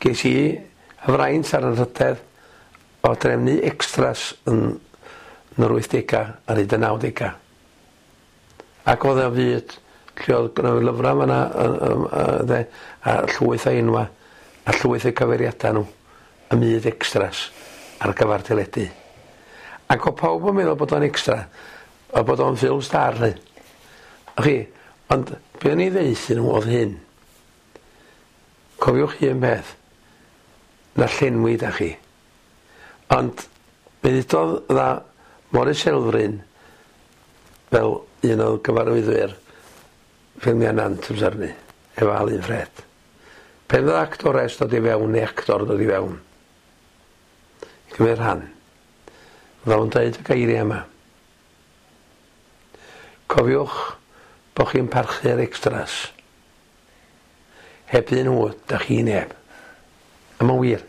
Ges i y fraint a'r anrhydedd o drefnu extras yn, yn yr 80au ar hyd y 90au. Ac oedd o fyd lle oedd gynno fi lyfrau fan'na yy yy a llwyth o enwa' a llwyth o'u cyfeiriada' nhw ym myd extras ar gyfar teledu. Ac o'dd pawb yn meddwl bod o'n extra a bod o'n film star 'lly. Wch chi, ond be' o'n i ddeuthu nhw o'dd hyn. Cofiwch un peth, na llenwi 'dach chi. Ond mi ddudodd dda Morris Elfryn fel un o gyfarwyddwyr ffilmiau Nant amser 'ny, efo Alun Ffred. Pen fydda actores dod i fewn neu actor dod i fewn i gymryd rhan, fydda fo'n deud y geiriau yma. Cofiwch bo chi'n parchu'r extras. Heb un nhw, da chi neb. A mae'n wir.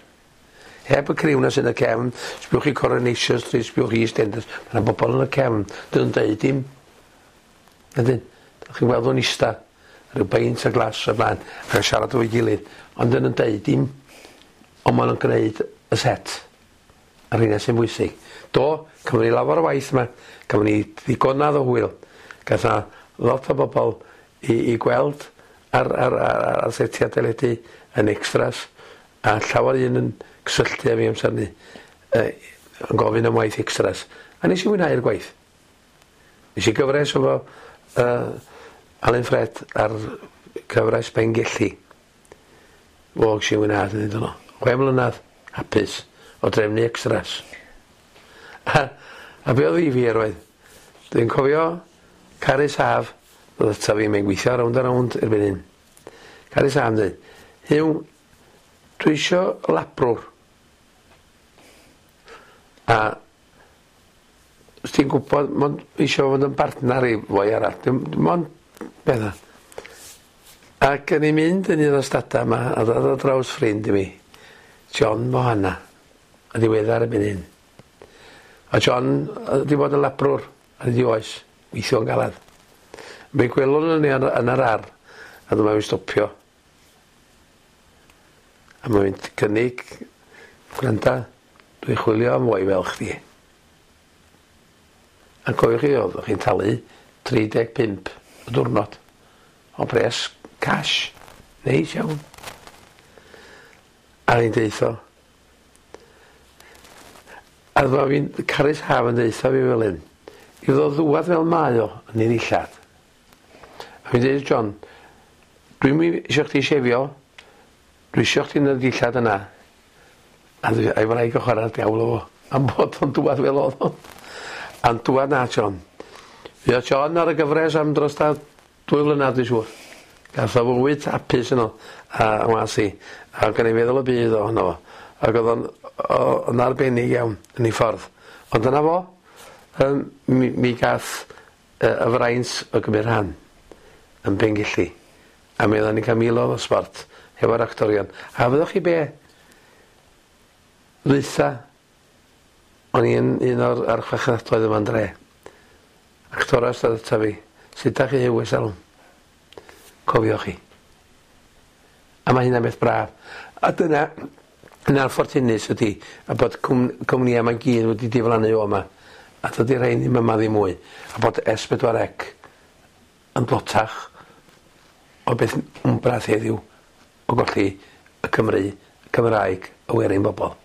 Heb y criw 'na sy'n y cefn, sbiwch chi Coronation Street, sbiwch chi EastEnders, mae 'na bobl yn y cefn, dyn nhw'n deud dim. Ydyn, da chi'n gweld nhw'n ista, rhyw beint a glas o blaen, ac yn siarad efo'i gilydd, ond dyn nhw'n deud dim, ond maen nhw'n gwneud y set. A'r rheina sy'n bwysig. Do, cafon ni lawer o waith yma, cafon ni ddigonadd o hwyl. Gath 'na lot o bobl i, i gweld ar, ar, ar, ar setiau teledu yn extras, a llawer un yn cysylltu â fi amser 'ny, yy, yn gofyn am waith extras. A nes i fwynhau'r gwaith. Nes i gyfres efo uh, Alun Ffred ar cyfres Bengelli. Fo ges i fwynhad yn hyn yno. 6 mlynedd hapus o drefnu extras. A, a be oedd ddifyr oedd, dwi'n cofio Carys Haf, ddod ata fi, mae'n gweithio rownd a rownd erbyn hyn. Carys Haf yn dweud, Huw, dwi isio labrwr. A os ti'n gwybod, mond isio fod yn bartner i foi arall, dim, dim ond beth Ac yn i'n mynd yn un o'r stadau yma, a ddod ar draws ffrind i mi, John Mohana, yn ddiweddar erbyn hyn. A John wedi bod yn labrwr ar hyd 'i oes, weithio'n galad. Mi gwelwn ni yn, yn yr ar, a dyma fi'n stopio. A mae'n mynd cynnig, gwranda, dwi'n chwilio am foi fel chdi. A cofiwch chi, oeddech chi'n talu 35 y diwrnod o bres cash. Neis iawn. A fi'n deutho. A dyma fi'n Carys Haf yn deutha fi fel hyn. I ddod ddwad fel mae o yn ei ddillad. A fi'n deud John, dwi'm isio chdi shefio, dwi isio chdi yn y dillad yna. A dwi a'i wraig yn chwarae'r diawl efo fo am bod o'n dŵad fel o'dd o. A'n dŵad na John. Fuodd John ar y gyfres am dros da dwy flynadd dwi siŵr. Gath o fywyd hapus yno a ngwas i. A gan i feddwl y byd ohono fo. Ac o'dd o'n o- yn arbennig iawn yn ei ffordd. Ond dyna fo. Yym mi mi gath y y fraint o gymryd rhan yn Pengelli. A mi oddan ni'n ca'l milodd o sbort hefo'r actorion. A fyddwch chi be'? Ddwytha o'n i yn un o'r archfarchnadoedd yma'n dre. Actores ddodd ata fi. Sut 'dach chi Huw ers dalwm? Cofio chi. A ma' hynna'n beth braf. A dyna yn anffortunus ydi a bod cwm- cwmnïa 'ma gyd wedi diflannu o 'ma. A dydi rhein ddim yma ddim mwy. A bod S4C yn dlotach o beth wmbrath heddiw o golli y Cymry, y Cymraeg, y werin bobol.